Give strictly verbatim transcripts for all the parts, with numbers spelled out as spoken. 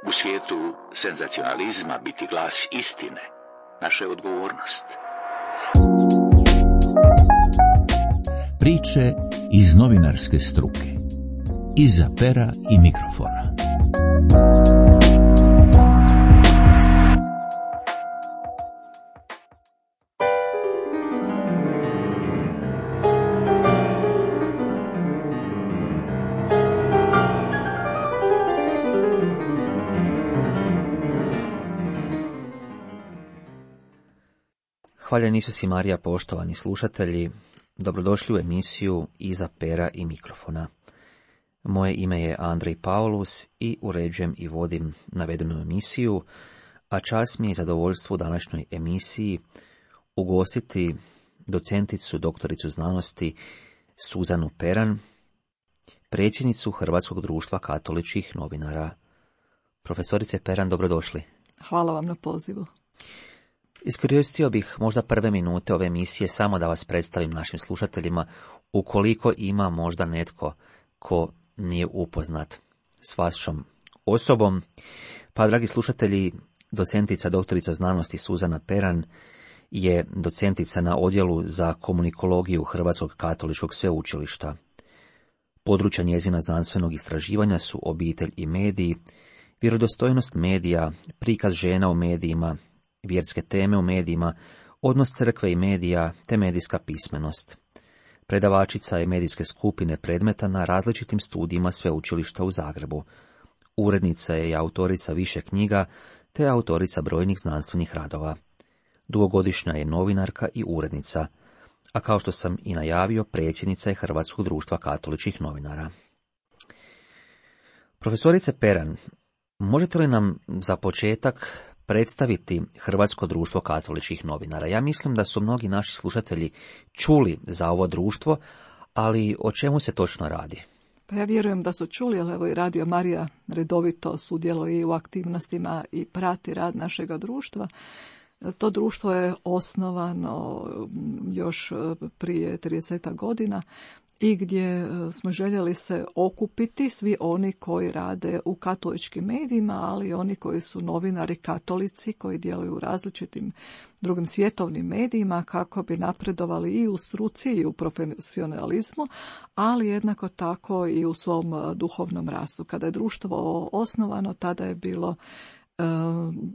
U svijetu senzacionalizma biti glas istine naša je odgovornost. Priče iz novinarske struke. Iza pera i mikrofona. Hvaljen Isus i Marija, poštovani slušatelji, dobrodošli u emisiju Iza pera i mikrofona. Moje ime je Andrej Paulus i uređujem i vodim navedenu emisiju, a čast mi je zadovoljstvo u današnjoj emisiji ugostiti docenticu, doktoricu znanosti Suzanu Peran, predsjednicu Hrvatskog društva katoličkih novinara. Profesorice Peran, dobrodošli. Hvala vam na pozivu. Iskoristio bih možda prve minute ove emisije samo da vas predstavim našim slušateljima, ukoliko ima možda netko ko nije upoznat s vašom osobom. Pa, dragi slušatelji, docentica, doktorica znanosti Suzana Peran je docentica na odjelu za komunikologiju Hrvatskog katoličkog sveučilišta. Područja njezina znanstvenog istraživanja su obitelj i mediji, vjerodostojnost medija, prikaz žena u medijima, vjerske teme u medijima, odnos crkve i medija te medijska pismenost. Predavačica je medijske skupine predmeta na različitim studijima sveučilišta u Zagrebu. Urednica je i autorica više knjiga te autorica brojnih znanstvenih radova. Dugogodišnja je novinarka i urednica, a kao što sam i najavio, predsjednica je Hrvatskog društva katoličkih novinara. Profesorice Peran, možete li nam za početak predstaviti Hrvatsko društvo katoličkih novinara? Ja mislim da su mnogi naši slušatelji čuli za ovo društvo, ali o čemu se točno radi? Pa ja vjerujem da su čuli, ali evo i Radio Marija redovito sudjeluje i u aktivnostima i prati rad našega društva. To društvo je osnovano još prije trideset godina i gdje smo željeli se okupiti svi oni koji rade u katoličkim medijima, ali i oni koji su novinari katolici, koji djeluju u različitim drugim svjetovnim medijima, kako bi napredovali i u struci i u profesionalizmu, ali jednako tako i u svom duhovnom rastu. Kada je društvo osnovano, tada je bilo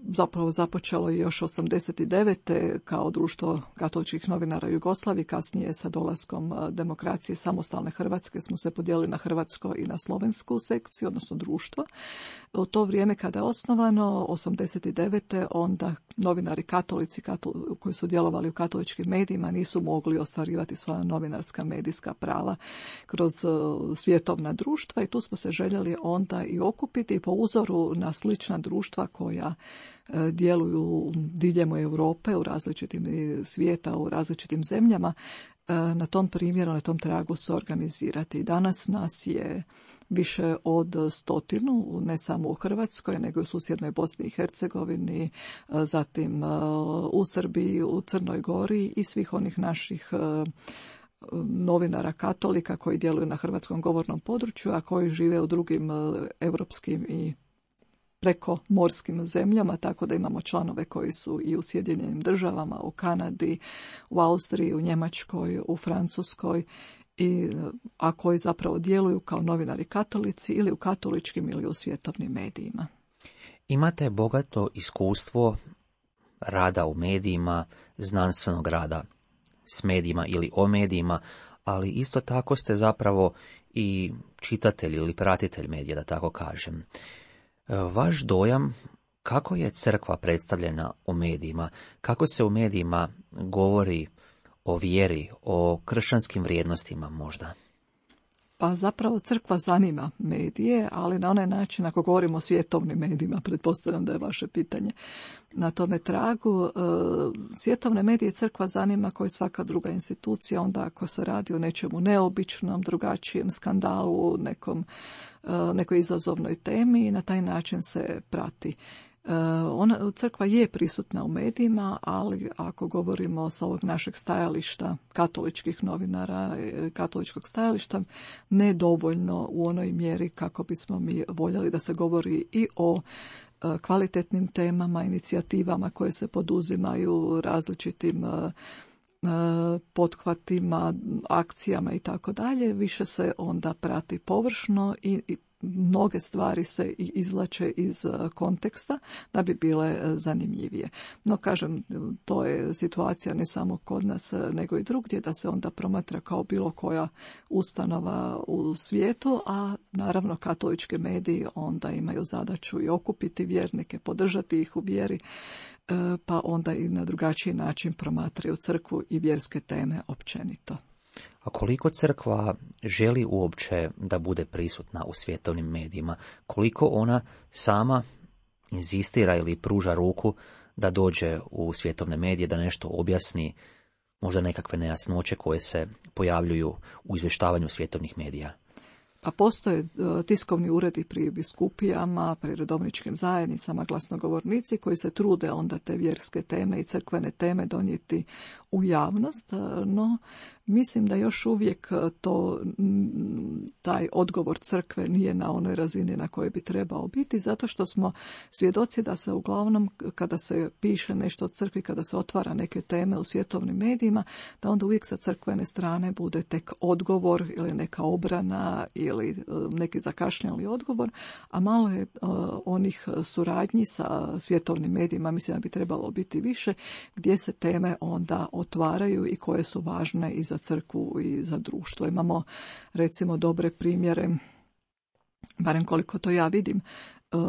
zapravo započelo je još osamdeset devete kao društvo katoličkih novinara Jugoslavije, kasnije sa dolaskom demokracije samostalne Hrvatske smo se podijelili na hrvatsko i na slovensku sekciju, odnosno društvo. U to vrijeme kada je osnovano, osamdeset devete onda novinari katolici katol- koji su djelovali u katoličkim medijima nisu mogli ostvarivati svoja novinarska medijska prava kroz svjetovna društva i tu smo se željeli onda i okupiti po uzoru na slična društva koja e, djeluju diljem Europe, u različitim svijeta, u različitim zemljama, e, na tom primjeru, na tom tragu se organizirati. Danas nas je više od stotinu, ne samo u Hrvatskoj, nego i u susjednoj Bosni i Hercegovini, e, zatim e, u Srbiji, u Crnoj Gori i svih onih naših e, novinara katolika koji djeluju na hrvatskom govornom području, a koji žive u drugim e, europskim i preko morskim zemljama, tako da imamo članove koji su i u Sjedinjenim državama, u Kanadi, u Austriji, u Njemačkoj, u Francuskoj, i, a koji zapravo djeluju kao novinari katolici ili u katoličkim ili u svjetovnim medijima. Imate bogato iskustvo rada u medijima, znanstvenog rada s medijima ili o medijima, ali isto tako ste zapravo i čitatelj ili pratitelj medija, da tako kažem. Vaš dojam, kako je crkva predstavljena u medijima, kako se u medijima govori o vjeri, o kršćanskim vrijednostima možda? Pa zapravo crkva zanima medije, ali na onaj način, ako govorimo o svjetovnim medijima, pretpostavljam da je vaše pitanje na tome tragu, svjetovne medije crkva zanima kao i svaka druga institucija, onda ako se radi o nečemu neobičnom, drugačijem skandalu, nekom, nekoj izazovnoj temi i na taj način se prati. Ona, crkva je prisutna u medijima, ali ako govorimo sa ovog našeg stajališta, katoličkih novinara, katoličkog stajališta, ne dovoljno u onoj mjeri kako bismo mi voljeli da se govori i o kvalitetnim temama, inicijativama koje se poduzimaju, različitim pothvatima, akcijama i tako dalje. Više se onda prati površno i, i mnoge stvari se izvlače iz konteksta da bi bile zanimljivije. No, kažem, to je situacija ne samo kod nas, nego i drugdje, da se onda promatra kao bilo koja ustanova u svijetu, a naravno katolički mediji onda imaju zadaću i okupiti vjernike, podržati ih u vjeri, pa onda i na drugačiji način promatraju crkvu i vjerske teme općenito. A koliko crkva želi uopće da bude prisutna u svjetovnim medijima? Koliko ona sama inzistira ili pruža ruku da dođe u svjetovne medije, da nešto objasni, možda nekakve nejasnoće koje se pojavljuju u izvještavanju svjetovnih medija? A postoje tiskovni uredi pri biskupijama, pri redovničkim zajednicama, glasnogovornici koji se trude onda te vjerske teme i crkvene teme donijeti u javnost, no mislim da još uvijek to, taj odgovor crkve nije na onoj razini na kojoj bi trebao biti, zato što smo svjedoci da se uglavnom kada se piše nešto o crkvi, kada se otvara neke teme u svjetovnim medijima, da onda uvijek sa crkvene strane bude tek odgovor ili neka obrana ili neki zakašnjeli odgovor, a malo je uh, onih suradnji sa svjetovnim medijima, mislim da bi trebalo biti više, gdje se teme onda otvaraju i koje su važne i za crkvu i za društvo. Imamo recimo dobre primjere, barem koliko to ja vidim,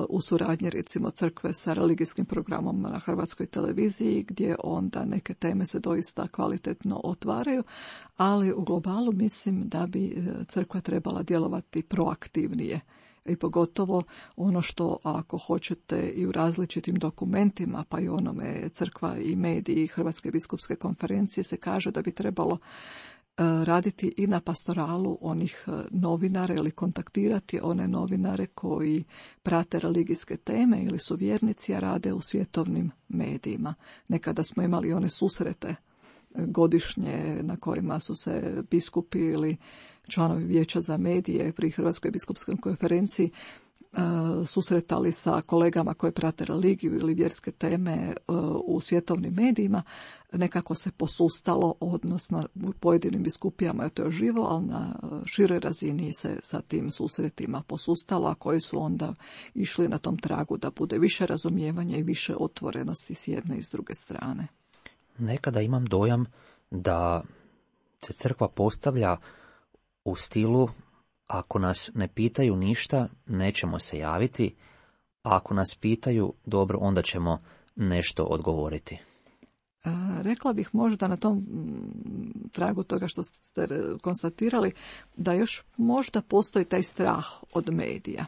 u suradnji recimo crkve sa religijskim programom na Hrvatskoj televiziji, gdje onda neke teme se doista kvalitetno otvaraju, ali u globalu mislim da bi crkva trebala djelovati proaktivnije. I pogotovo ono što, ako hoćete, i u različitim dokumentima, pa i onome crkva i mediji Hrvatske biskupske konferencije se kaže da bi trebalo raditi i na pastoralu onih novinara ili kontaktirati one novinare koji prate religijske teme ili su vjernici, a rade u svjetovnim medijima. Nekada smo imali one susrete godišnje na kojima su se biskupi ili članovi vijeća za medije pri Hrvatskoj biskupskoj konferenciji susretali sa kolegama koji prate religiju ili vjerske teme u svjetovnim medijima. Nekako se posustalo, odnosno u pojedinim biskupijama je to živo, ali na široj razini se sa tim susretima posustalo, a koji su onda išli na tom tragu da bude više razumijevanja i više otvorenosti s jedne i s druge strane. Nekada imam dojam da se crkva postavlja u stilu: ako nas ne pitaju ništa, nećemo se javiti, a ako nas pitaju, dobro, onda ćemo nešto odgovoriti. Rekla bih možda na tom tragu toga što ste konstatirali, da još možda postoji taj strah od medija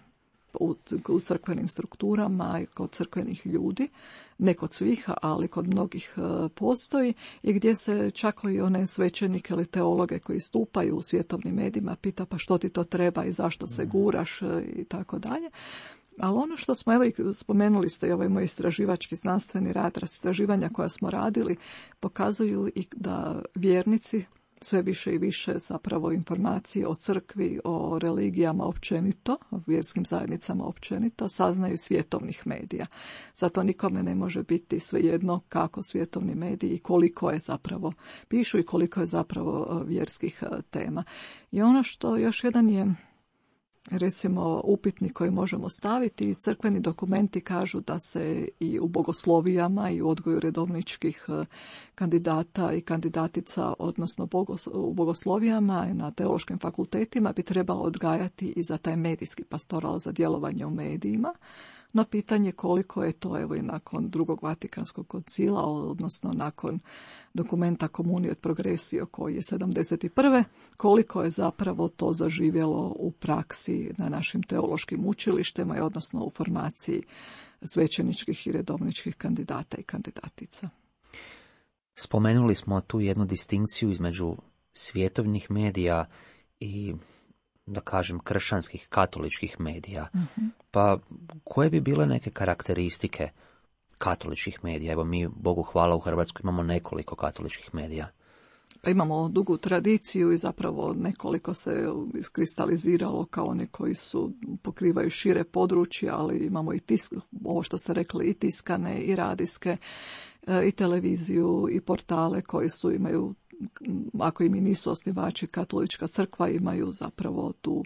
u crkvenim strukturama i kod crkvenih ljudi, ne kod svih, ali kod mnogih postoji, i gdje se čak i one svećenike ili teologe koji stupaju u svjetovnim medijima pita pa što ti to treba i zašto se guraš i tako dalje. Ali ono što smo, evo i spomenuli ste i ovaj moj istraživački znanstveni rad, istraživanja koja smo radili, pokazuju i da vjernici sve više i više zapravo informacije o crkvi, o religijama općenito, o vjerskim zajednicama općenito, saznaju svjetovnih medija. Zato nikome ne može biti svejedno kako svjetovni mediji i koliko je zapravo pišu i koliko je zapravo vjerskih tema. I ono što još jedan je, recimo, upitnik koji možemo staviti, crkveni dokumenti kažu da se i u bogoslovijama i u odgoju redovničkih kandidata i kandidatica, odnosno u bogoslovijama i na teološkim fakultetima bi trebalo odgajati i za taj medijski pastoral, za djelovanje u medijima. No pitanje koliko je to, evo i nakon drugog Vatikanskog koncila, odnosno nakon dokumenta Communio et Progressio koji je sedamdeset prve koliko je zapravo to zaživjelo u praksi na našim teološkim učilištima i odnosno u formaciji svećeničkih i redovničkih kandidata i kandidatica. Spomenuli smo tu jednu distinkciju između svjetovnih medija i da kažem, kršćanskih, katoličkih medija. Mm-hmm. Pa koje bi bile neke karakteristike katoličkih medija? Evo mi, Bogu hvala, u Hrvatskoj imamo nekoliko katoličkih medija. Pa imamo dugu tradiciju i zapravo nekoliko se iskristaliziralo kao oni koji su pokrivaju šire područje, ali imamo i tisk, ovo što ste rekli, i tiskane, i radijske, i televiziju, i portale koji su imaju, ako im i nisu osnivači katolička crkva, imaju zapravo tu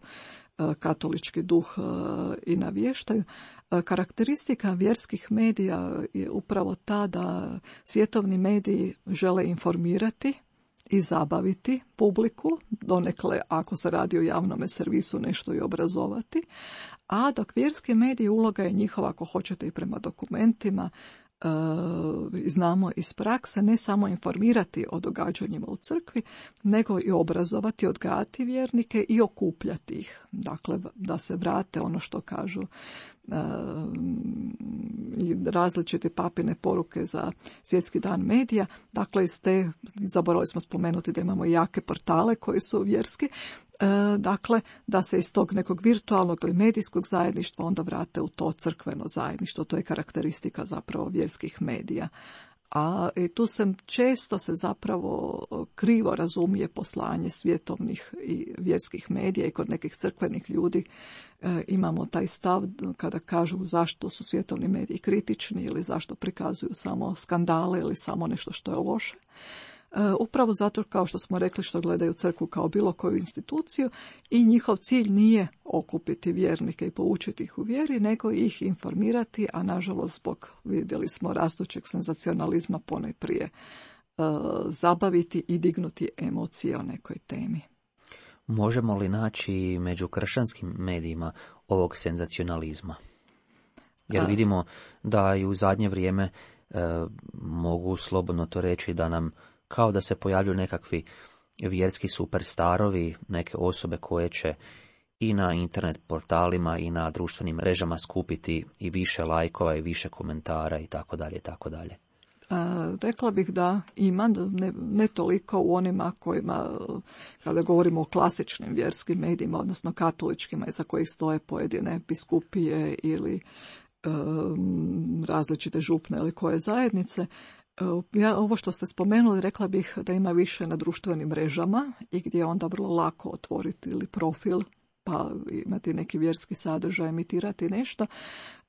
katolički duh i navještaju. Karakteristika vjerskih medija je upravo ta da svjetovni mediji žele informirati i zabaviti publiku, donekle ako se radi o javnome servisu nešto i obrazovati, a dok vjerski mediji uloga je njihova, ako hoćete, i prema dokumentima, e, znamo iz prakse, ne samo informirati o događanjima u crkvi, nego i obrazovati, odgajati vjernike i okupljati ih. Dakle, da se vrate ono što kažu i različite papine poruke za svjetski dan medija. Dakle, iz te, zaboravili smo spomenuti da imamo jake portale koji su vjerski, dakle, da se iz tog nekog virtualnog ili medijskog zajedništva onda vrate u to crkveno zajedništvo. To je karakteristika zapravo vjerskih medija. A i tu se često se zapravo krivo razumije poslanje svjetovnih i vjerskih medija i kod nekih crkvenih ljudi e, imamo taj stav kada kažu zašto su svjetovni mediji kritični ili zašto prikazuju samo skandale ili samo nešto što je loše. E, upravo zato, kao što smo rekli, što gledaju crkvu kao bilo koju instituciju i njihov cilj nije okupiti vjernike i poučiti ih u vjeri, nego ih informirati, a nažalost zbog, vidjeli smo, rastućeg senzacionalizma ponajprije e, zabaviti i dignuti emocije o nekoj temi. Možemo li naći među kršćanskim medijima ovog senzacionalizma? Jer vidimo da i u zadnje vrijeme e, mogu slobodno to reći da nam kao da se pojavljuju nekakvi vjerski superstarovi, neke osobe koje će i na internet portalima i na društvenim mrežama skupiti i više lajkova i više komentara i tako dalje i tako dalje. Rekla bih da ima, ne, ne toliko u onima kojima, kada govorimo o klasičnim vjerskim medijima, odnosno katoličkima, iza kojih stoje pojedine biskupije ili um, različite župne ili koje zajednice. Ja, ovo što ste spomenuli, rekla bih da ima više na društvenim mrežama i gdje je onda vrlo lako otvoriti ili profil, pa imati neki vjerski sadržaj, emitirati nešto,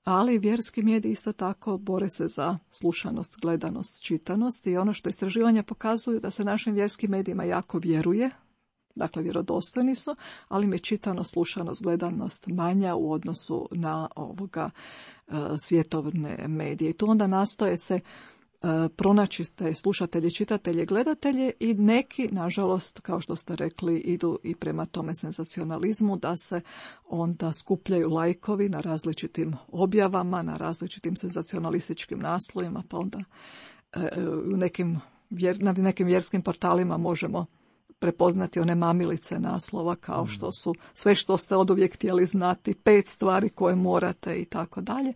ali vjerski mediji isto tako bore se za slušanost, gledanost, čitanost i ono što istraživanja pokazuju da se našim vjerskim medijima jako vjeruje, dakle vjerodostojni su, ali im je čitanost, slušanost, gledanost manja u odnosu na ovoga uh, svjetovne medije. I tu onda nastoje se pronaći te slušatelje, čitatelje, gledatelje i neki, nažalost, kao što ste rekli, idu i prema tome senzacionalizmu da se onda skupljaju lajkovi na različitim objavama, na različitim senzacionalističkim naslovima, pa onda u nekim, na nekim vjerskim portalima možemo prepoznati one mamilice naslova kao što su sve što ste oduvijek htjeli znati, pet stvari koje morate i tako dalje,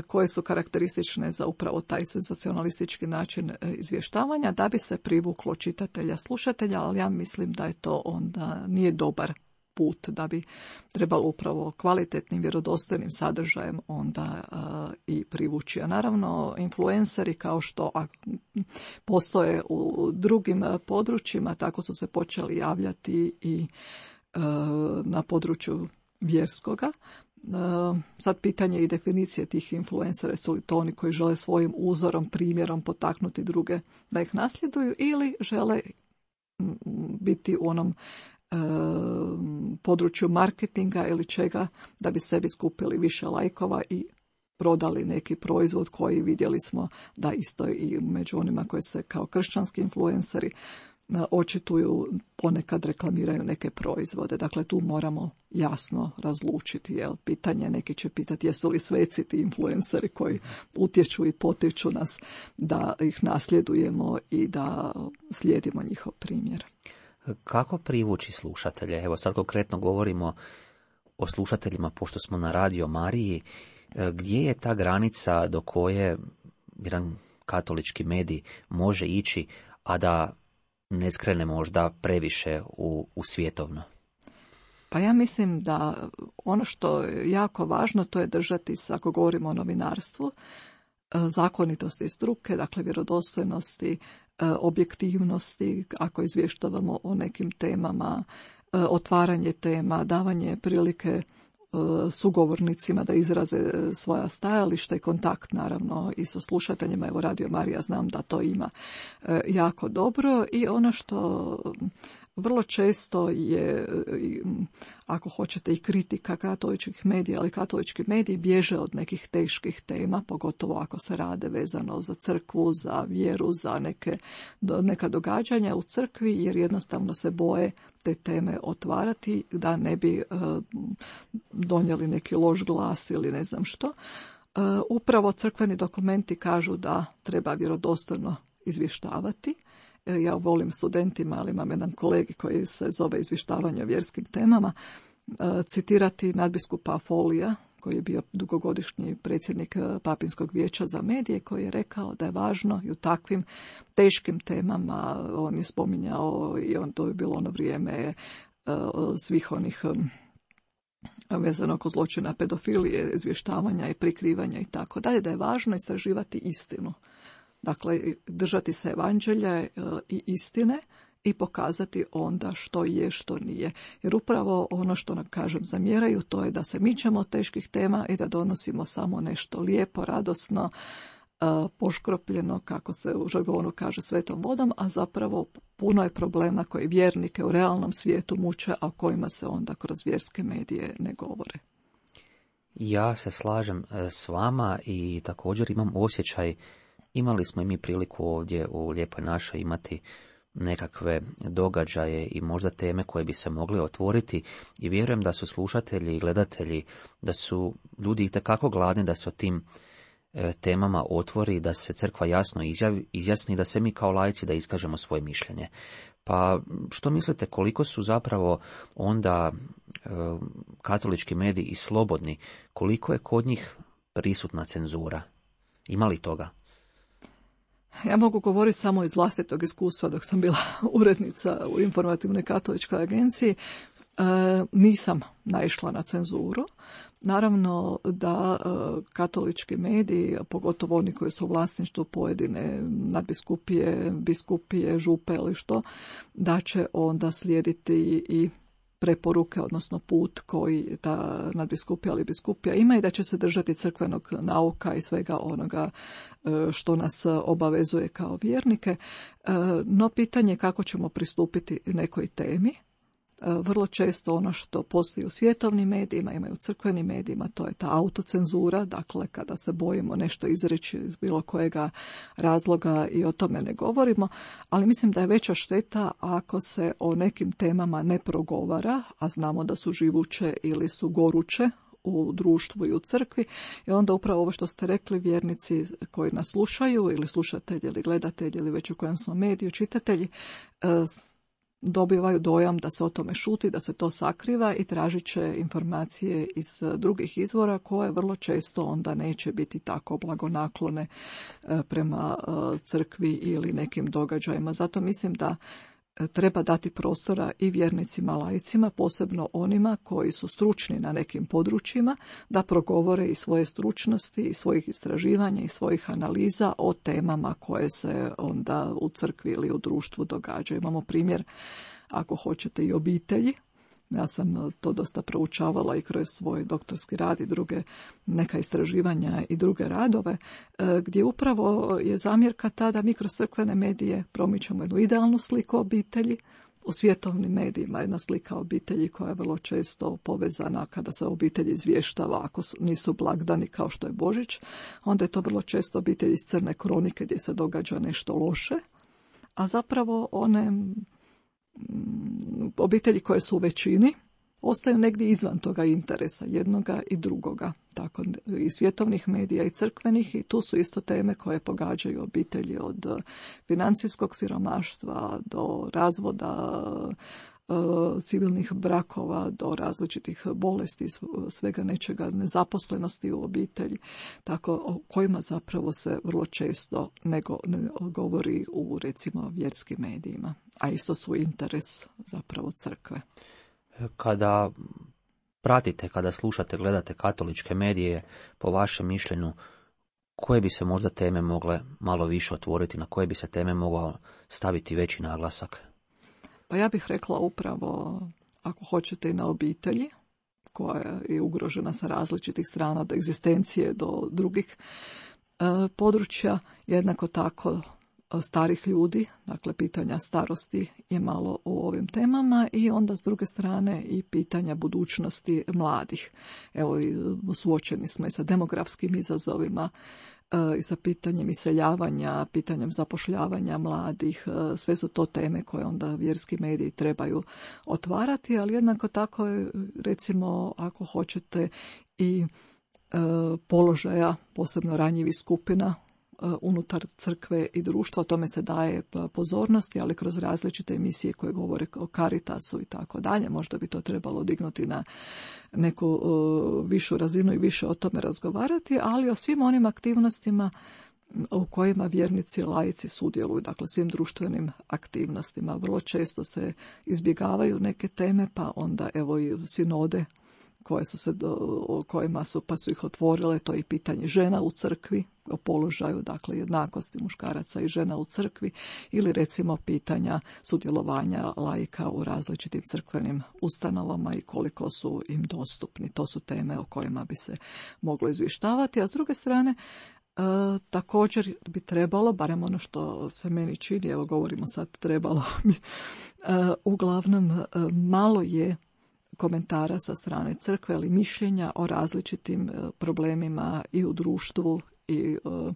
koje su karakteristične za upravo taj senzacionalistički način izvještavanja, da bi se privuklo čitatelja, slušatelja, ali ja mislim da je to onda nije dobar put, da bi trebalo upravo kvalitetnim, vjerodostojnim sadržajem onda uh, i privući. A naravno, influenceri kao što a, postoje u drugim područjima, tako su se počeli javljati i uh, na području vjerskoga. Uh, sad pitanje i definicije tih influencera, su li to oni koji žele svojim uzorom, primjerom potaknuti druge da ih nasljeduju ili žele biti u onom uh, području marketinga ili čega da bi sebi skupili više lajkova i prodali neki proizvod koji vidjeli smo da isto i među onima koji se kao kršćanski influenceri očituju, ponekad reklamiraju neke proizvode. Dakle, tu moramo jasno razlučiti. Jel? Pitanje, neki će pitati jesu li sveci ti influenceri koji utječu i potiču nas da ih nasljedujemo i da slijedimo njihov primjer. Kako privući slušatelje? Evo sad konkretno govorimo o slušateljima pošto smo na Radio Mariji. Gdje je ta granica do koje jedan katolički medij može ići, a da ne skrene možda previše u, u svjetovno? Pa ja mislim da ono što je jako važno, to je držati se, ako govorimo o novinarstvu, zakonitosti struke, dakle vjerodostojnosti, objektivnosti, ako izvještavamo o nekim temama, otvaranje tema, davanje prilike sugovornicima da izraze svoja stajališta i kontakt naravno i sa slušateljima. Evo Radio Marija znam da to ima jako dobro i ono što vrlo često je, ako hoćete, i kritika katoličkih medija, ali katolički mediji bježe od nekih teških tema, pogotovo ako se rade vezano za crkvu, za vjeru, za neke, neka događanja u crkvi, jer jednostavno se boje te teme otvarati da ne bi uh, donijeli neki loš glas ili ne znam što. Uh, upravo crkveni dokumenti kažu da treba vjerodostojno izvještavati. Ja volim studentima, ali imam jedan kolegi koji se zove izvještavanje o vjerskim temama, citirati nadbiskupa Folija, koji je bio dugogodišnji predsjednik Papinskog vijeća za medije, koji je rekao da je važno i u takvim teškim temama, on je spominjao i on, to je bilo ono vrijeme svih onih vezano oko zločina pedofilije, izvještavanja i prikrivanja i tako dalje, da je važno istraživati istinu. Dakle, držati se evanđelja i istine i pokazati onda što je, što nije. Jer upravo ono što nam, kažem, zamjeraju, to je da se mičemo od teških tema i da donosimo samo nešto lijepo, radosno, poškropljeno, kako se u žargonu kaže, svetom vodom, a zapravo puno je problema koji vjernike u realnom svijetu muče, a o kojima se onda kroz vjerske medije ne govore. Ja se slažem s vama i također imam osjećaj, imali smo i mi priliku ovdje u Lijepoj našoj imati nekakve događaje i možda teme koje bi se mogli otvoriti i vjerujem da su slušatelji i gledatelji, da su ljudi itekako gladni da se o tim e, temama otvori, da se crkva jasno izjavi, izjasni, da se mi kao laici da iskažemo svoje mišljenje. Pa što mislite, koliko su zapravo onda e, katolički mediji i slobodni, koliko je kod njih prisutna cenzura? Ima li toga? Ja mogu govoriti samo iz vlastitog iskustva dok sam bila urednica u Informativnoj katoličkoj agenciji. E, nisam naišla na cenzuru. Naravno da e, katolički mediji, pogotovo oni koji su u vlasništvu pojedine nadbiskupije, biskupije, župe ili što, da će onda slijediti i preporuke, odnosno put koji ta nadbiskupija ili biskupija ima i da će se držati crkvenog nauka i svega onoga što nas obavezuje kao vjernike. No pitanje je kako ćemo pristupiti nekoj temi. Vrlo često ono što postoji u svjetovnim medijima, ima i u crkvenim medijima, to je ta autocenzura, dakle kada se bojimo nešto izreći iz bilo kojega razloga i o tome ne govorimo, ali mislim da je veća šteta ako se o nekim temama ne progovara, a znamo da su živuće ili su goruće u društvu i u crkvi, i onda upravo ovo što ste rekli, vjernici koji nas slušaju ili slušatelji ili gledatelji ili već u kojem smo mediju, čitatelji, dobivaju dojam da se o tome šuti, da se to sakriva i tražit će informacije iz drugih izvora koje vrlo često onda neće biti tako blagonaklone prema crkvi ili nekim događajima. Zato mislim da treba dati prostora i vjernicima, laicima, posebno onima koji su stručni na nekim područjima, da progovore i svoje stručnosti i svojih istraživanja i svojih analiza o temama koje se onda u crkvi ili u društvu događaju. Imamo primjer, ako hoćete, i obitelji. Ja sam to dosta proučavala i kroz svoj doktorski rad i druge neka istraživanja i druge radove, gdje upravo je zamjerka ta da mi kroz crkvene medije promičemo jednu idealnu sliku obitelji. U svjetovnim medijima jedna slika obitelji koja je vrlo često povezana kada se obitelji izvještava, ako nisu blagdani kao što je Božić, onda je to vrlo često obitelj iz crne kronike gdje se događa nešto loše, a zapravo one obitelji koje su u većini ostaju negdje izvan toga interesa jednoga i drugoga, tako i svjetovnih medija i crkvenih, i tu su isto teme koje pogađaju obitelji od financijskog siromaštva do razvoda, civilnih brakova, do različitih bolesti, svega nečega, nezaposlenosti u obitelji, tako o kojima zapravo se vrlo često ne, go, ne govori u, recimo, vjerskim medijima, a isto su interes zapravo crkve. Kada pratite, kada slušate, gledate katoličke medije, po vašem mišljenju, koje bi se možda teme mogle malo više otvoriti, na koje bi se teme mogao staviti veći naglasak? Pa ja bih rekla upravo, ako hoćete, i na obitelji, koja je ugrožena sa različitih strana, od egzistencije do drugih e, područja, jednako tako starih ljudi, dakle pitanja starosti je malo u ovim temama, i onda s druge strane i pitanja budućnosti mladih. Evo, suočeni smo i sa demografskim izazovima, i sa pitanjem iseljavanja, pitanjem zapošljavanja mladih. Sve su to teme koje onda vjerski mediji trebaju otvarati, ali jednako tako je, recimo, ako hoćete, i e, položaja posebno ranjivih skupina unutar crkve i društva. O tome se daje pozornosti, ali kroz različite emisije koje govore o Caritasu i tako dalje. Možda bi to trebalo dignuti na neku uh, višu razinu i više o tome razgovarati, ali o svim onim aktivnostima u kojima vjernici, laici sudjeluju, dakle svim društvenim aktivnostima. Vrlo često se izbjegavaju neke teme, pa onda evo i sinode koje su se do, o kojima su, pa su ih otvorile, to je i pitanje žena u crkvi, o položaju, dakle, jednakosti muškaraca i žena u crkvi, ili recimo pitanja sudjelovanja laika u različitim crkvenim ustanovama i koliko su im dostupni. To su teme o kojima bi se moglo izvještavati, a s druge strane, E, također bi trebalo, barem ono što se meni čini, evo govorimo sad trebalo mi, e, uglavnom e, malo je komentara sa strane crkve, ali mišljenja o različitim problemima i u društvu i uh,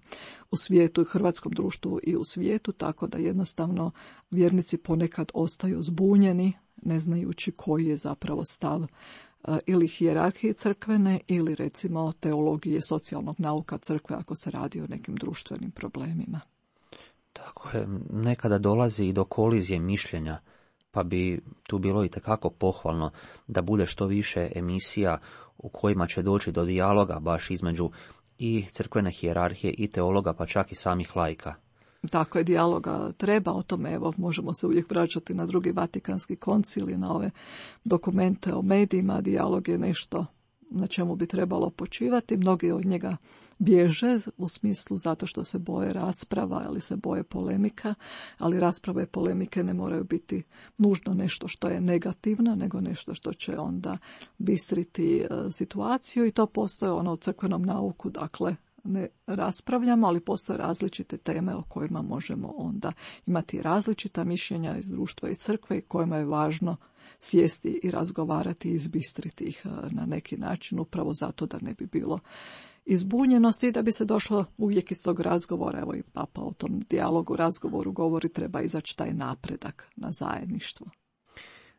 u svijetu, i hrvatskom društvu i u svijetu, tako da jednostavno vjernici ponekad ostaju zbunjeni, ne znajući koji je zapravo stav uh, ili hijerarhije crkvene ili recimo teologije socijalnog nauka crkve ako se radi o nekim društvenim problemima. Tako je, nekada dolazi i do kolizije mišljenja, pa bi tu bilo itekako pohvalno da bude što više emisija u kojima će doći do dijaloga baš između i crkvene hijerarhije i teologa, pa čak i samih laika. Tako je, dijaloga treba, o tome evo možemo se uvijek vraćati na drugi Vatikanski koncil i na ove dokumente o medijima. Dijalog je nešto na čemu bi trebalo počivati. Mnogi od njega bježe u smislu zato što se boje rasprava ili se boje polemika, ali rasprave i polemike ne moraju biti nužno nešto što je negativno, nego nešto što će onda bistriti situaciju, i to postoje ono u crkvenom nauku, dakle ne raspravljamo, ali postoje različite teme o kojima možemo onda imati različita mišljenja iz društva i crkve i kojima je važno sjesti i razgovarati i izbistriti ih na neki način, upravo zato da ne bi bilo izbunjenosti i da bi se došlo uvijek iz tog razgovora, evo i Papa o tom dijalogu, razgovoru govori, treba izaći taj napredak na zajedništvo.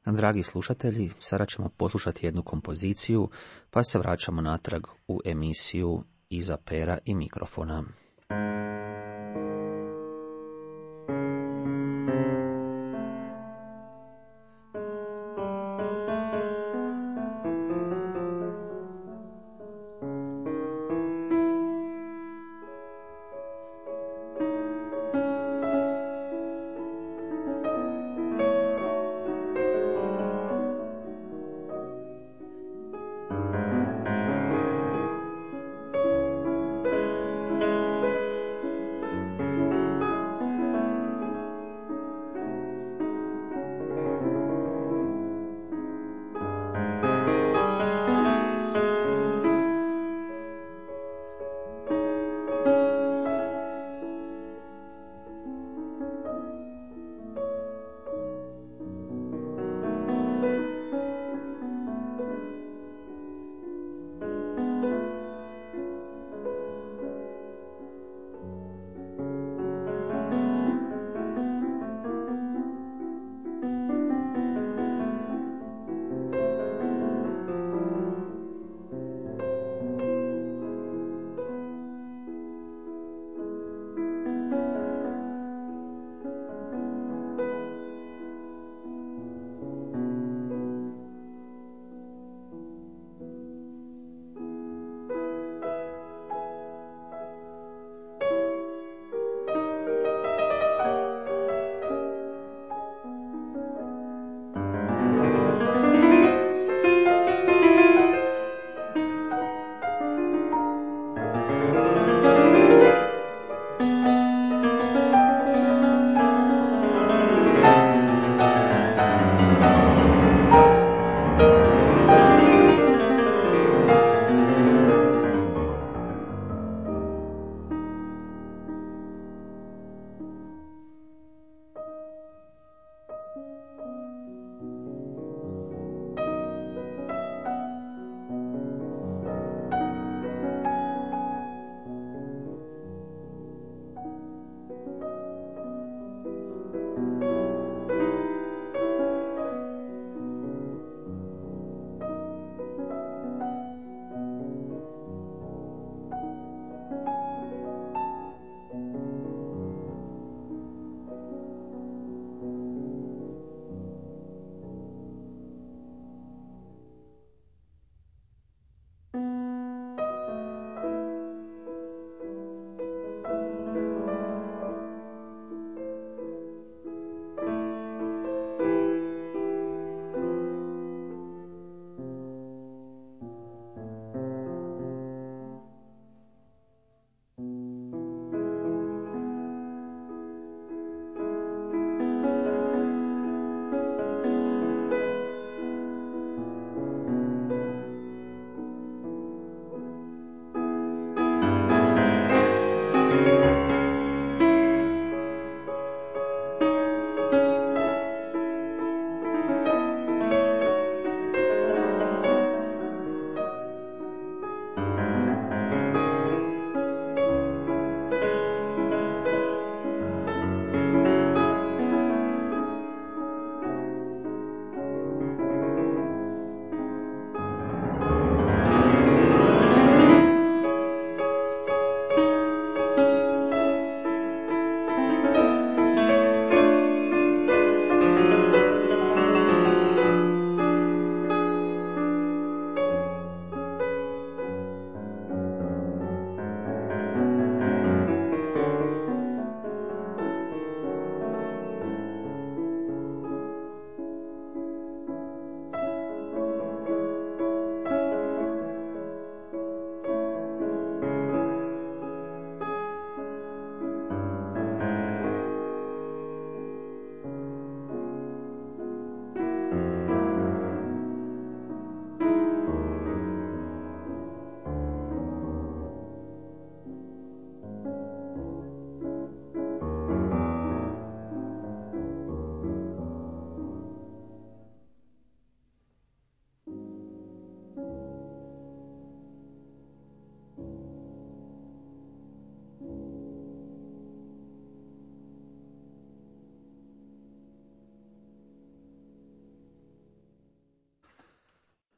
Dragi slušatelji, sada ćemo poslušati jednu kompoziciju, pa se vraćamo natrag u emisiju Iza pera i mikrofona.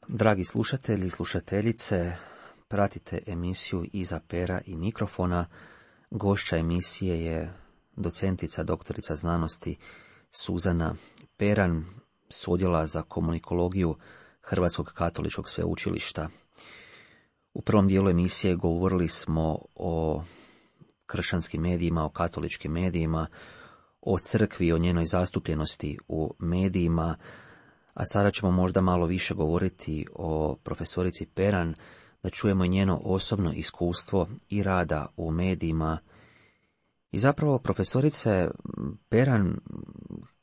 Dragi slušatelji i slušateljice, pratite emisiju Iza pera i mikrofona. Gošća emisije je docentica, doktorica znanosti Suzana Peran s Odjela za komunikologiju Hrvatskog katoličkog sveučilišta. U prvom dijelu emisije govorili smo o kršćanskim medijima, o katoličkim medijima, o crkvi, o njenoj zastupljenosti u medijima, a sada ćemo možda malo više govoriti o profesorici Peran, da čujemo njeno osobno iskustvo i rada u medijima. I zapravo, profesorice Peran,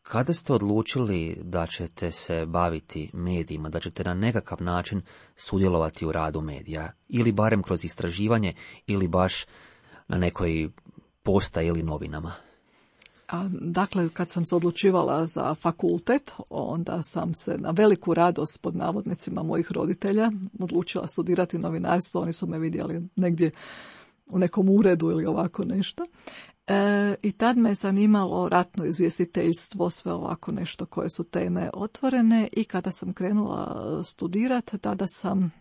kada ste odlučili da ćete se baviti medijima, da ćete na nekakav način sudjelovati u radu medija, ili barem kroz istraživanje, ili baš na nekoj postaji ili novinama? A, dakle, kad sam se odlučivala za fakultet, onda sam se na veliku radost pod navodnicima mojih roditelja odlučila studirati novinarstvo. Oni su me vidjeli negdje u nekom uredu ili ovako nešto. E, I tad me je zanimalo ratno izvjestiteljstvo, sve ovako nešto koje su teme otvorene, i kada sam krenula studirati, tada sam,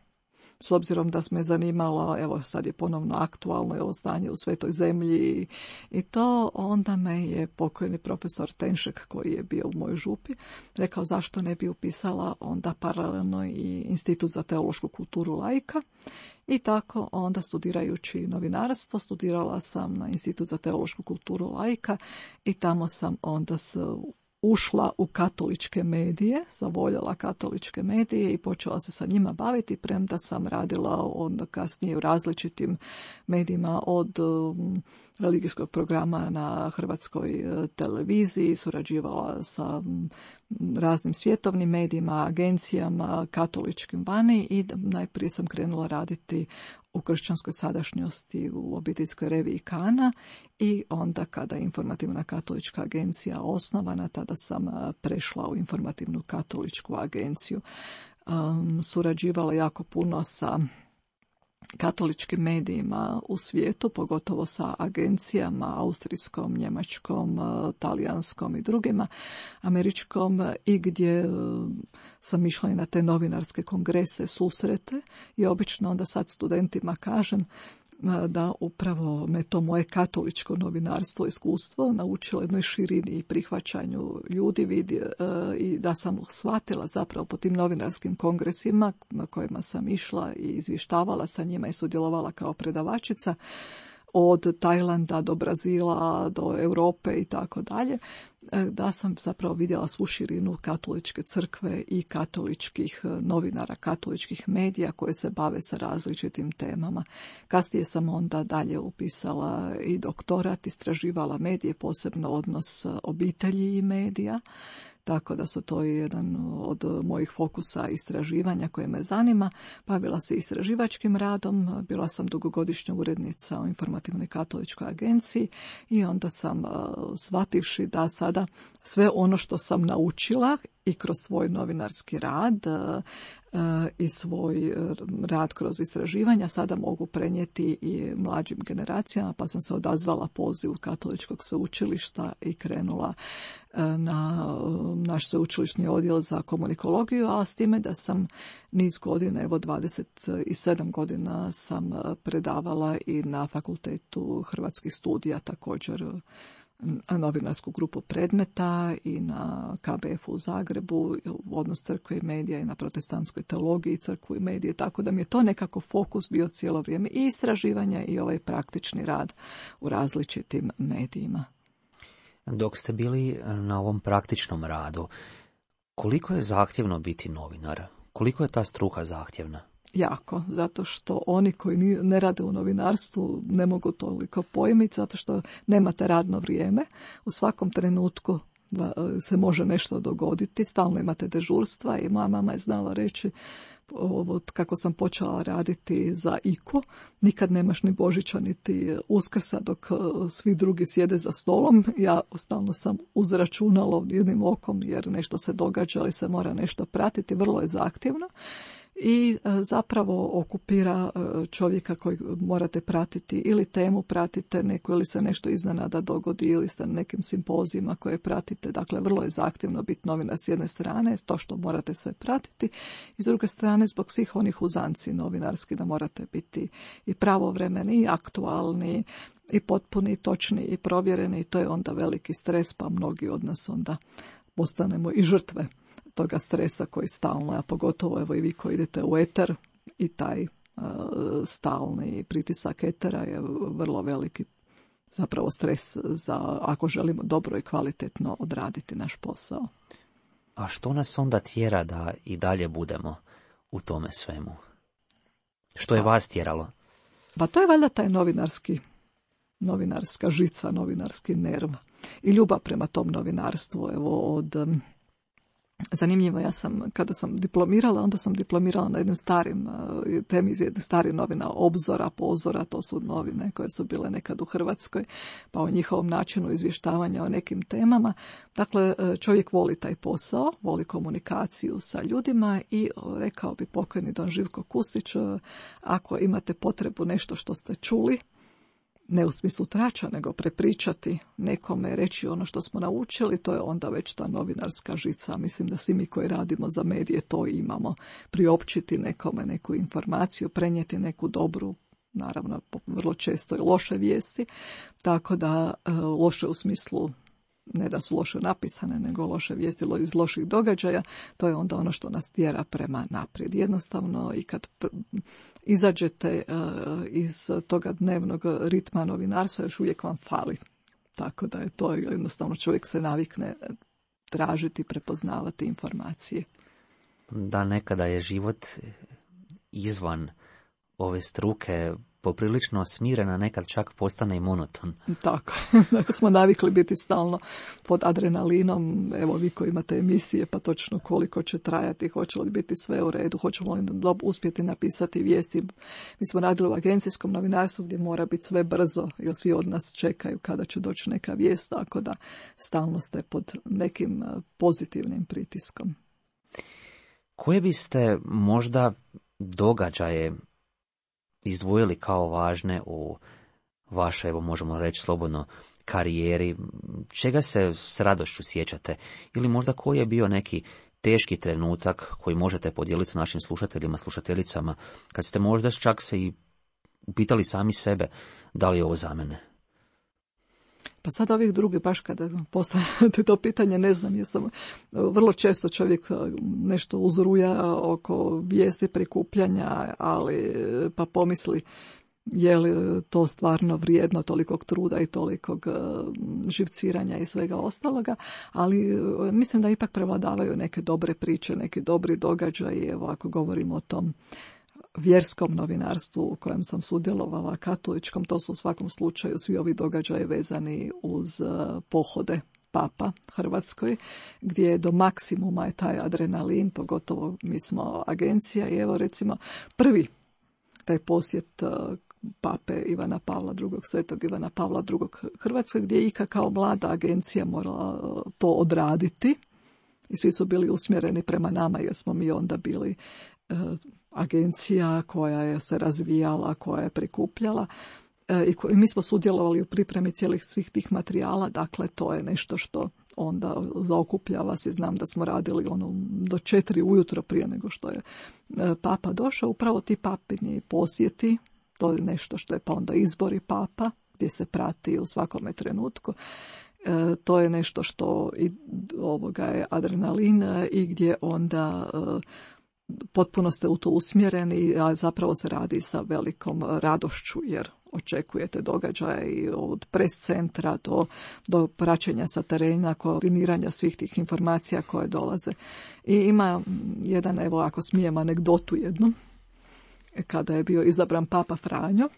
s obzirom da me zanimalo, evo sad je ponovno aktualno ovo stanje u Svetoj zemlji i, i to, onda me je pokojni profesor Tenšek, koji je bio u mojoj župi, rekao zašto ne bi upisala onda paralelno i Institut za teološku kulturu laika. I tako onda, studirajući novinarstvo, studirala sam na Institut za teološku kulturu laika i tamo sam onda s ušla u katoličke medije, zavoljela katoličke medije i počela se sa njima baviti, premda sam radila onda kasnije u različitim medijima, od um, religijskog programa na Hrvatskoj televiziji, surađivala sa um, raznim svjetovnim medijima, agencijama, katoličkim vani, i najprije sam krenula raditi u kršćanskoj sadašnjosti u obiteljskoj reviji Kana, i onda kada je Informativna katolička agencija osnovana, tada sam prešla u Informativnu katoličku agenciju. Um, surađivala jako puno sa katoličkim medijima u svijetu, pogotovo sa agencijama austrijskom, njemačkom, talijanskom i drugima, američkom, i gdje sam išla i na te novinarske kongrese, susrete, i obično onda sad studentima kažem da upravo me to moje katoličko novinarstvo, iskustvo naučilo jednoj širini i prihvaćanju ljudi, vidi, i da sam shvatila zapravo po tim novinarskim kongresima na kojima sam išla i izvještavala sa njima i sudjelovala kao predavačica, od Tajlanda do Brazila, do Europe i tako dalje, da sam zapravo vidjela svu širinu katoličke crkve i katoličkih novinara, katoličkih medija koje se bave sa različitim temama. Kasnije sam onda dalje upisala i doktorat, istraživala medije, posebno odnos obitelji i medija, tako da su to jedan od mojih fokusa istraživanja koje me zanima. Bavila se istraživačkim radom, bila sam dugogodišnja urednica u Informativnoj katoličkoj agenciji, i onda sam, shvativši da sada sve ono što sam naučila i kroz svoj novinarski rad i svoj rad kroz istraživanja sada mogu prenijeti i mlađim generacijama, pa sam se odazvala pozivu Katoličkog sveučilišta i krenula na naš sveučilišni odjel za komunikologiju, a s time da sam niz godina, evo dvadeset sedam godina sam predavala i na Fakultetu hrvatskih studija, također novinarsku grupu predmeta, i na K B F u Zagrebu, odnos crkve i medija, i na protestantskoj teologiji crkvu i medije, tako da mi je to nekako fokus bio cijelo vrijeme, i istraživanja i ovaj praktični rad u različitim medijima. Dok ste bili na ovom praktičnom radu, koliko je zahtjevno biti novinar? Koliko je ta struka zahtjevna? Jako, zato što oni koji ne rade u novinarstvu ne mogu toliko pojmiti, zato što nemate radno vrijeme. U svakom trenutku se može nešto dogoditi, stalno imate dežurstva, i moja mama je znala reći, ovo, kako sam počela raditi za I K U, nikad nemaš ni Božića niti Uskrsa dok svi drugi sjede za stolom. Ja stalno sam uz računalo jednim okom, jer nešto se događa, ali se mora nešto pratiti, vrlo je zahtjevno. i zapravo okupira čovjeka koji morate pratiti ili temu pratite neku ili se nešto iznenada dogodi ili ste na nekim simpozijima koje pratite. Dakle, vrlo je zahtjevno biti novinar s jedne strane, to što morate sve pratiti, i s druge strane zbog svih onih uzanci novinarski da morate biti i pravovremeni i aktualni i potpuni, i točni i provjereni, i to je onda veliki stres, pa mnogi od nas onda postanemo i žrtve toga stresa koji stalno, a pogotovo evo i vi koji idete u eter, i taj uh, stalni pritisak etera je vrlo veliki zapravo stres za ako želimo dobro i kvalitetno odraditi naš posao. A što nas onda tjera da i dalje budemo u tome svemu? Što je vas tjeralo? Pa to je valjda taj novinarski, novinarska žica, novinarski nerv i ljubav prema tom novinarstvu. Evo od zanimljivo, ja sam, kada sam diplomirala, onda sam diplomirala na jednim starim temi iz jednih starih novina, Obzora, Pozora, to su novine koje su bile nekad u Hrvatskoj, pa o njihovom načinu izvještavanja o nekim temama. Dakle, čovjek voli taj posao, voli komunikaciju sa ljudima i rekao bi pokojni don Živko Kustić, ako imate potrebu nešto što ste čuli, ne u smislu trača, nego prepričati nekome, reći ono što smo naučili, to je onda već ta novinarska žica. Mislim da svi mi koji radimo za medije to imamo. Priopćiti nekome neku informaciju, prenijeti neku dobru, naravno vrlo često i loše vijesti, tako da loše u smislu ne da su loše napisane, nego loše vijesti iz loših događaja, to je onda ono što nas tjera prema naprijed. Jednostavno, i kad izađete uh, iz toga dnevnog ritma novinarstva, još uvijek vam fali. Tako da je to jednostavno, čovjek se navikne tražiti, prepoznavati informacije. Da, nekada je život izvan ove struke poprilično smirena, nekad čak postane i monoton. Tako, dakle smo navikli biti stalno pod adrenalinom, evo vi koji imate emisije, pa točno koliko će trajati, hoće li biti sve u redu, hoćemo li uspjeti napisati vijesti. Mi smo radili u agencijskom novinarstvu gdje mora biti sve brzo, jer svi od nas čekaju kada će doći neka vijest, tako da stalno ste pod nekim pozitivnim pritiskom. Koje biste možda događaje izdvojili kao važne u vašoj, evo možemo reći slobodno, karijeri? Čega se s radošću sjećate? Ili možda koji je bio neki teški trenutak koji možete podijeliti s našim slušateljima, slušateljicama, kad ste možda čak se i upitali sami sebe da li je ovo za mene? Pa sad ovih drugih, baš kada postavljate to pitanje, ne znam, jer sam vrlo često čovjek nešto uzruja oko vijesti prikupljanja, ali pa pomisli je li to stvarno vrijedno tolikog truda i tolikog živciranja i svega ostaloga, ali mislim da ipak prevladavaju neke dobre priče, neki dobri događaji. Evo ako govorimo o tom vjerskom novinarstvu u kojem sam sudjelovala, katoličkom, to su u svakom slučaju svi ovi događaji vezani uz pohode Papa Hrvatskoj, gdje je do maksimuma je taj adrenalin, pogotovo mi smo agencija i evo recimo prvi taj posjet Pape Ivana Pavla drugog, svetog Ivana Pavla drugog Hrvatskoj, gdje je Ika kao mlada agencija morala to odraditi i svi su bili usmjereni prema nama jer smo mi onda bili agencija koja je se razvijala, koja je prikupljala i mi smo sudjelovali u pripremi cijelih svih tih materijala, dakle to je nešto što onda zaokuplja vas i znam da smo radili ono do četiri ujutro prije nego što je Papa došao, upravo ti papini posjeti, to je nešto što je pa onda izbori Papa gdje se prati u svakome trenutku. E, to je nešto što i ovoga je adrenalin i gdje onda e, potpuno ste u to usmjereni, a zapravo se radi sa velikom radošću jer očekujete događaje i od pres centra do, do praćenja sa terena, koordiniranja svih tih informacija koje dolaze. I ima jedan, evo ako smijem anegdotu jednu, kada je bio izabran Papa Franjo,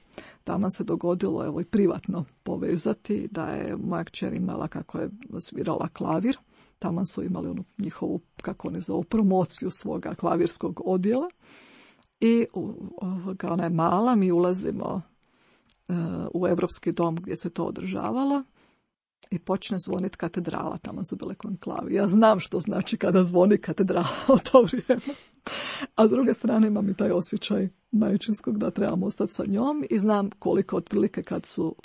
tamo se dogodilo evo i privatno povezati da je moja kćer imala kako je svirala klavir, tamo su imali onu njihovu, kako oni zovu, promociju svoga klavirskog odjela i ovoga, ona je mala, mi ulazimo uh, u Europski dom gdje se to održavalo i počne zvoniti katedrala, tamo su bile konklavi. Ja znam što znači kada zvoni katedrala u to vrijeme. A s druge strane imam i taj osjećaj majčinskog da trebamo ostati sa njom i znam koliko otprilike kad su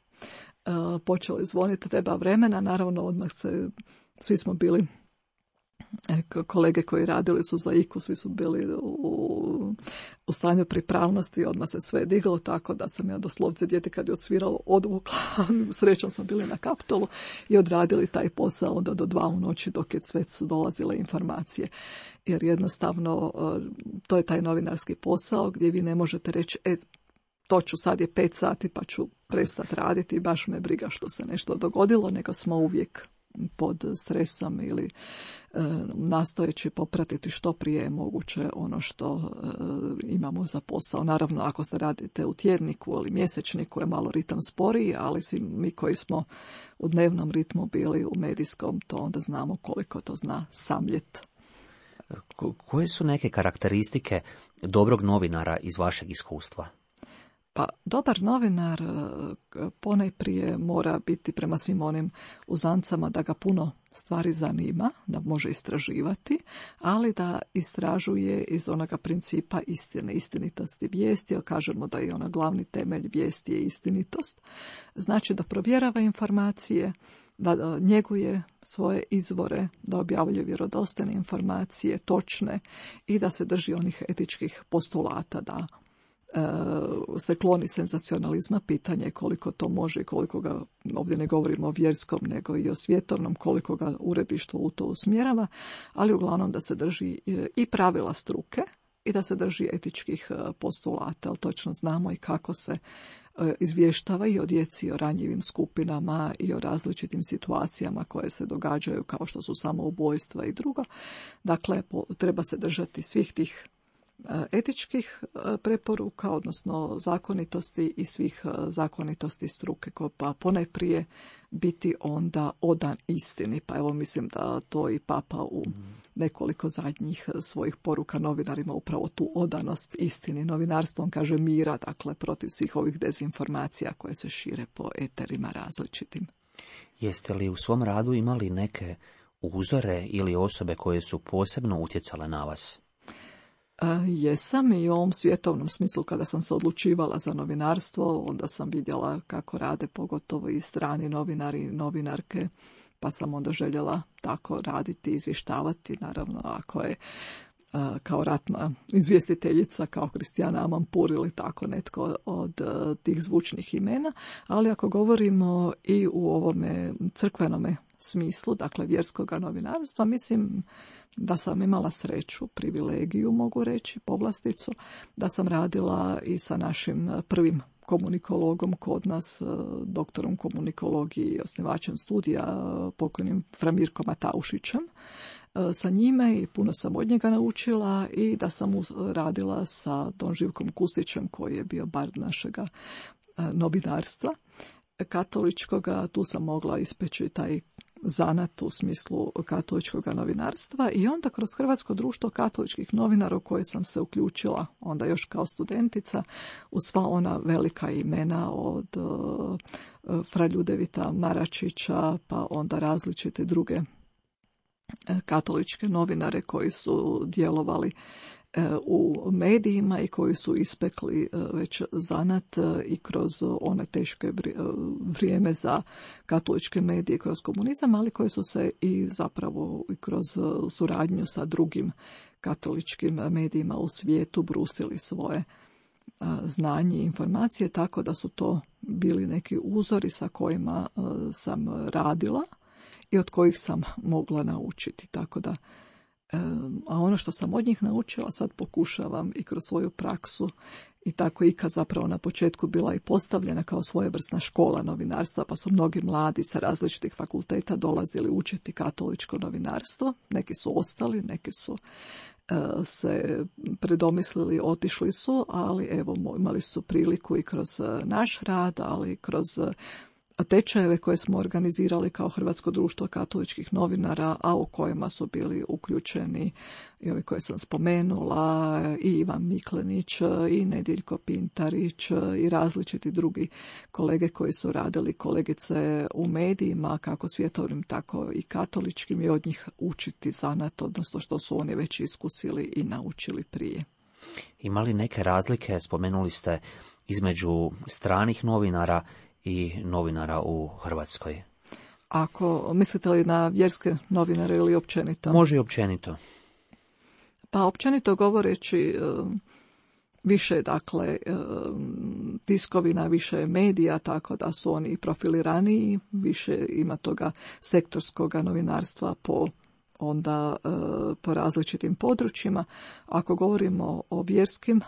uh, počeli zvoniti treba vremena. Naravno odmah se, svi smo bili, kolege koji radili su za I K U, svi su bili u, u stanju pripravnosti, odmah se sve diglo, tako da sam ja doslovce dijete kad je odsviralo odvukla, srećom smo bili na Kaptolu i odradili taj posao onda do dva u noći dok je sve su dolazile informacije. Jer jednostavno to je taj novinarski posao gdje vi ne možete reći e, to ću sad je pet sati pa ću prestati raditi i baš me briga što se nešto dogodilo, nego smo uvijek pod stresom ili e, nastojeći popratiti što prije je moguće ono što e, imamo za posao. Naravno, ako se radite u tjedniku ili mjesečniku je malo ritam sporiji, ali svi mi koji smo u dnevnom ritmu bili u medijskom, to onda znamo koliko to zna samljet. Ko- koje su neke karakteristike dobrog novinara iz vašeg iskustva? Pa dobar novinar ponajprije mora biti prema svim onim uzancama da ga puno stvari zanima, da može istraživati, ali da istražuje iz onoga principa istine, istinitosti vijesti, jer kažemo da je ona glavni temelj vijesti je istinitost. Znači da provjerava informacije, da njeguje svoje izvore, da objavljuje vjerodostojne informacije, točne i da se drži onih etičkih postulata, da se kloni senzacionalizma, pitanje je koliko to može i koliko ga, ovdje ne govorimo o vjerskom nego i o svjetovnom, koliko ga uredništvo u to usmjerava, ali uglavnom da se drži i pravila struke i da se drži etičkih postulata, ali točno znamo i kako se izvještava i o djeci, i o ranjivim skupinama i o različitim situacijama koje se događaju kao što su samoubojstva i drugo. Dakle, treba se držati svih tih etičkih preporuka, odnosno zakonitosti i svih zakonitosti struke, pa ponajprije biti onda odan istini. Pa evo mislim da to i Papa u nekoliko zadnjih svojih poruka novinarima upravo tu odanost istini. Novinarstvo on kaže mira, dakle protiv svih ovih dezinformacija koje se šire po eterima različitim. Jeste li u svom radu imali neke uzore ili osobe koje su posebno utjecale na vas? Jesam i u ovom svjetovnom smislu kada sam se odlučivala za novinarstvo, onda sam vidjela kako rade pogotovo i strani novinari i novinarke, pa sam onda željela tako raditi, izvještavati, naravno ako je kao ratna izvjestiteljica, kao Kristijana Amanpour ili tako netko od tih zvučnih imena, ali ako govorimo i u ovome crkvenome smislu, dakle vjerskoga novinarstva, mislim da sam imala sreću, privilegiju mogu reći, povlasticu, da sam radila i sa našim prvim komunikologom kod nas, doktorom komunikologije i osnivačem studija, pokojnim Fra Mirkom Mataušićem, sa njime i puno sam od njega naučila i da sam radila sa Don Živkom Kustićem koji je bio bar našega novinarstva katoličkoga, tu sam mogla ispeći taj zanat u smislu katoličkog novinarstva i onda kroz Hrvatsko društvo katoličkih novinara u koje sam se uključila onda još kao studentica u sva ona velika imena od uh, Fra Ljudevita Maračića pa onda različite druge katoličke novinare koji su djelovali u medijima i koji su ispekli već zanat i kroz one teške vrijeme za katoličke medije kroz komunizam, ali koji su se i zapravo i kroz suradnju sa drugim katoličkim medijima u svijetu brusili svoje znanje i informacije, tako da su to bili neki uzori sa kojima sam radila i od kojih sam mogla naučiti, tako da a ono što sam od njih naučila sad pokušavam i kroz svoju praksu i tako I K A zapravo na početku bila i postavljena kao svojevrsna škola novinarstva, pa su mnogi mladi sa različitih fakulteta dolazili učiti katoličko novinarstvo, neki su ostali, neki su uh, se predomislili, otišli su, ali evo imali su priliku i kroz naš rad, ali i kroz tečajeve koje smo organizirali kao Hrvatsko društvo katoličkih novinara, a u kojima su bili uključeni i ovi koje sam spomenula, i Ivan Miklenić, i Nediljko Pintarić, i različiti drugi kolege koji su radili, kolegice u medijima, kako svjetovnim, tako i katoličkim, i od njih učiti zanat, odnosno što su oni već iskusili i naučili prije. Ima li neke razlike, spomenuli ste, između stranih novinara i novinara u Hrvatskoj? Ako mislite li na vjerske novinare ili općenito? Može i općenito. Pa općenito govoreći, više dakle tiskovina, više medija, tako da su oni profiliraniji, više ima toga sektorskoga novinarstva po onda po različitim područjima. Ako govorimo o vjerskim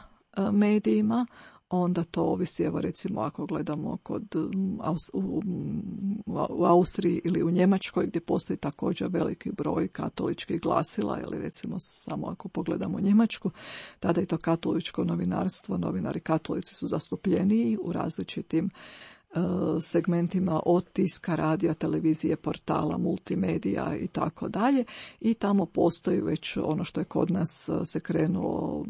medijima, onda to ovisi, evo recimo ako gledamo kod, u, u Austriji ili u Njemačkoj, gdje postoji također veliki broj katoličkih glasila, ili recimo samo ako pogledamo Njemačku, tada je to katoličko novinarstvo, novinari katolici su zastupljeniji u različitim segmentima od tiska, radija, televizije, portala, multimedija i tako dalje, i tamo postoji već ono što je kod nas se krenulo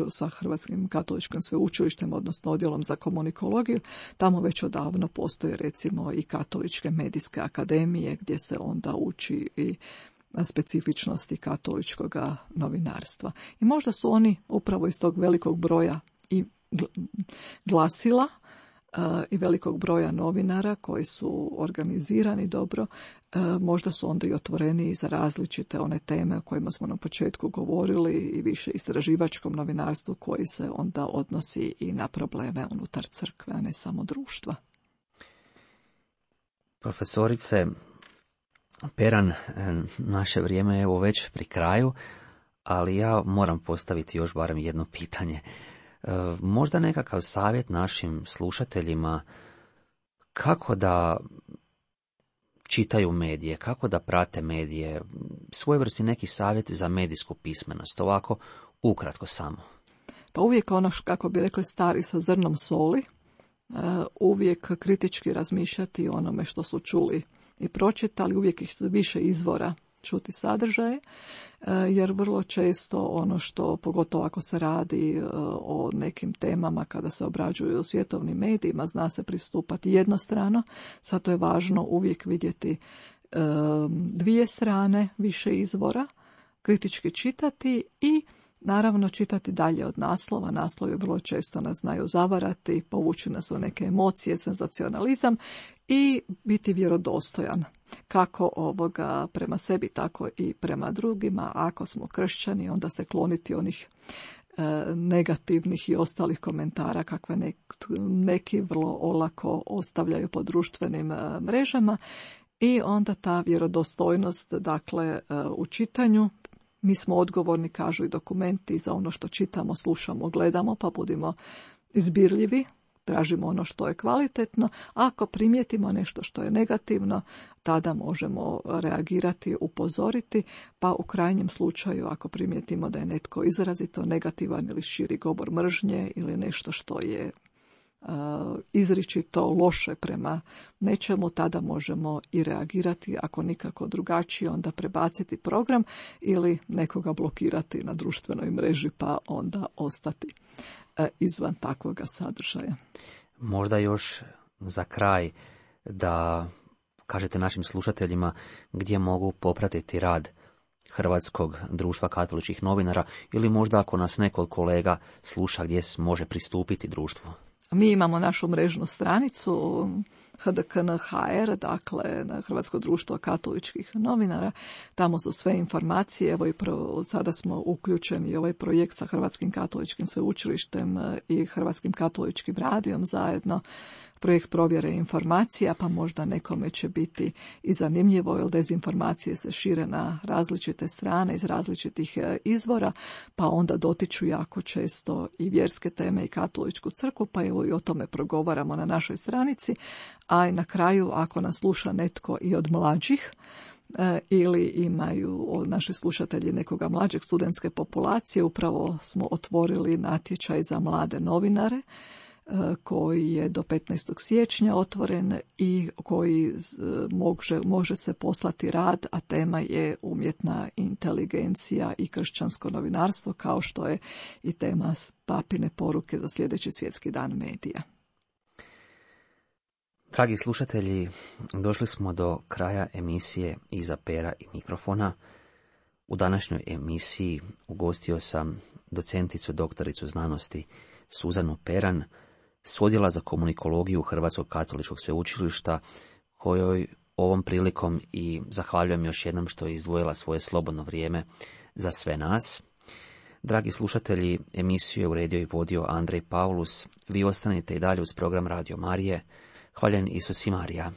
sa Hrvatskim katoličkim sveučilištem, odnosno odjelom za komunikologiju. Tamo već odavno postoje recimo i katoličke medijske akademije gdje se onda uči i specifičnosti katoličkog novinarstva. I možda su oni upravo iz tog velikog broja i glasila i velikog broja novinara koji su organizirani dobro, možda su onda i otvoreni za različite one teme o kojima smo na početku govorili, i više istraživačkom novinarstvu koji se onda odnosi i na probleme unutar crkve, a ne samo društva. Profesorice Peran, naše vrijeme je evo već pri kraju, ali ja moram postaviti još barem jedno pitanje. Možda nekakav savjet našim slušateljima kako da čitaju medije, kako da prate medije, svojevrsni neki savjet za medijsku pismenost, ovako ukratko samo. Pa uvijek ono, kako bi rekli stari, sa zrnom soli, uvijek kritički razmišljati o onome što su čuli i pročitali, uvijek ih više izvora čuti sadržaje, jer vrlo često ono što, pogotovo ako se radi o nekim temama kada se obrađuju u svjetovnim medijima, zna se pristupati jednostrano, zato je važno uvijek vidjeti dvije strane, više izvora, kritički čitati i naravno čitati dalje od naslova. Naslovi vrlo često nas znaju zavarati, povući nas u neke emocije, senzacionalizam, i biti vjerodostojan kako ovoga prema sebi, tako i prema drugima. Ako smo kršćani, onda se kloniti onih e, negativnih i ostalih komentara kakve nek, neki vrlo olako ostavljaju po društvenim e, mrežama, i onda ta vjerodostojnost, dakle, e, u čitanju. Mi smo odgovorni, kažu i dokumenti, za ono što čitamo, slušamo, gledamo, pa budimo izbirljivi, tražimo ono što je kvalitetno. Ako primijetimo nešto što je negativno, tada možemo reagirati, upozoriti, pa u krajnjem slučaju ako primijetimo da je netko izrazito negativan ili širi govor mržnje ili nešto što je izričito loše prema nečemu, tada možemo i reagirati, ako nikako drugačije onda prebaciti program ili nekoga blokirati na društvenoj mreži, pa onda ostati izvan takvoga sadržaja. Možda još za kraj da kažete našim slušateljima gdje mogu popratiti rad Hrvatskog društva katoličkih novinara, ili možda ako nas neko od kolega sluša gdje može pristupiti društvu. Mi imamo našu mrežnu stranicu H D K N H R, dakle na Hrvatsko društvo katoličkih novinara. Tamo su sve informacije. Evo i pro, sada smo uključeni ovaj projekt sa Hrvatskim katoličkim sveučilištem i Hrvatskim katoličkim radijom zajedno. Projekt provjere informacija, pa možda nekome će biti i zanimljivo, jer dezinformacije se šire na različite strane iz različitih izvora, pa onda dotiču jako često i vjerske teme i katoličku crkvu, pa evo i o tome progovaramo na našoj stranici. A i na kraju, ako nas sluša netko i od mlađih, ili imaju naši slušatelji nekoga mlađeg studentske populacije, upravo smo otvorili natječaj za mlade novinare, koji je do petnaestog siječnja otvoren i koji može, može se poslati rad, a tema je umjetna inteligencija i kršćansko novinarstvo, kao što je i tema papine poruke za sljedeći svjetski dan medija. Dragi slušatelji, došli smo do kraja emisije Iza pera i mikrofona. U današnjoj emisiji ugostio sam docenticu, doktoricu znanosti Suzanu Peran s Odjela za komunikologiju Hrvatskog katoličkog sveučilišta, kojoj ovom prilikom i zahvaljujem još jednom što je izdvojila svoje slobodno vrijeme za sve nas. Dragi slušatelji, emisiju je uredio i vodio Andrej Paulus. Vi ostanite i dalje uz program Radio Marije. Hvaljen Isus i Marija.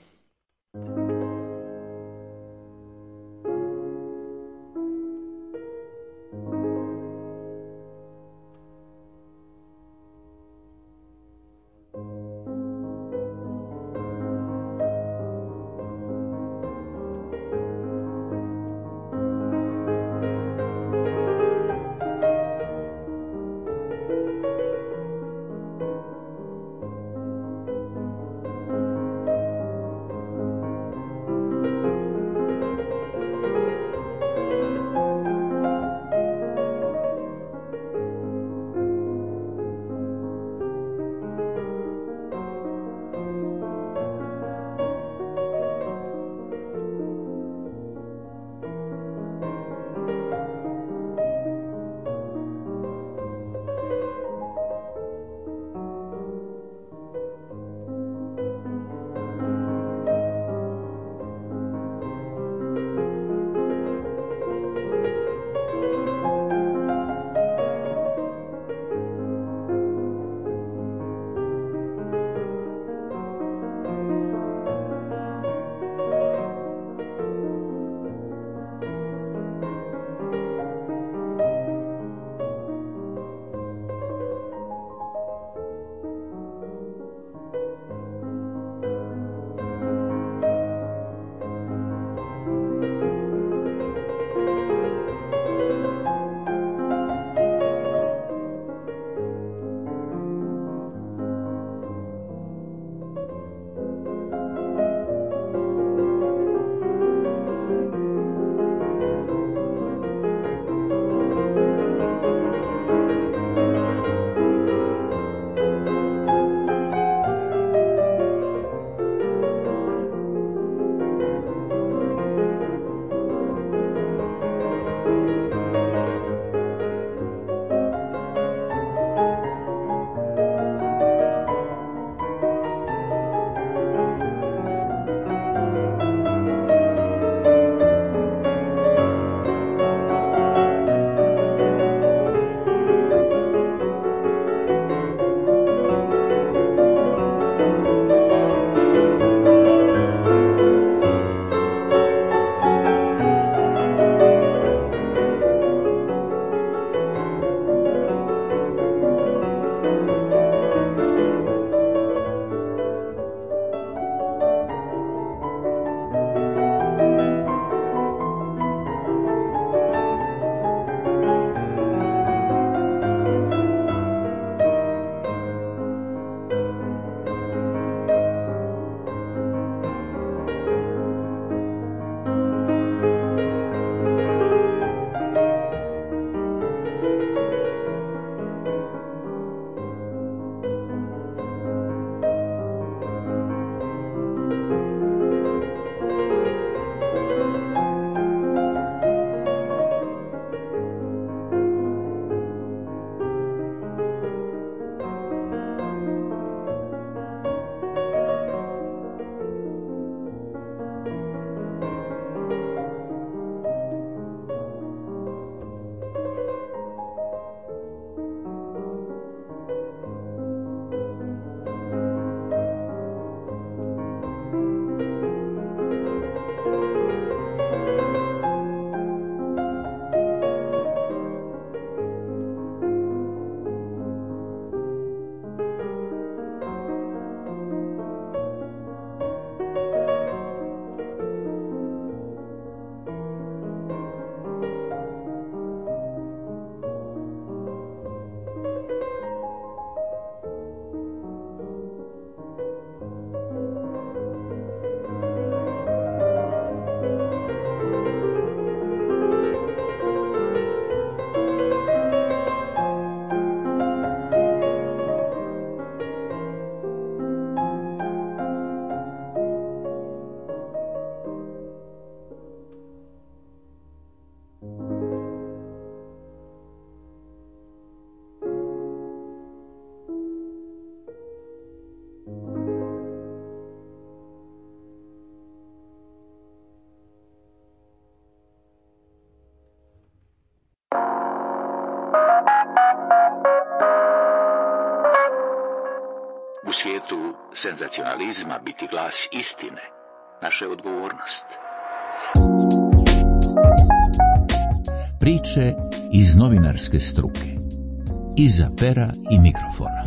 U svijetu senzacionalizma biti glas istine, naša je odgovornost. Priče iz novinarske struke. Iza pera i mikrofona.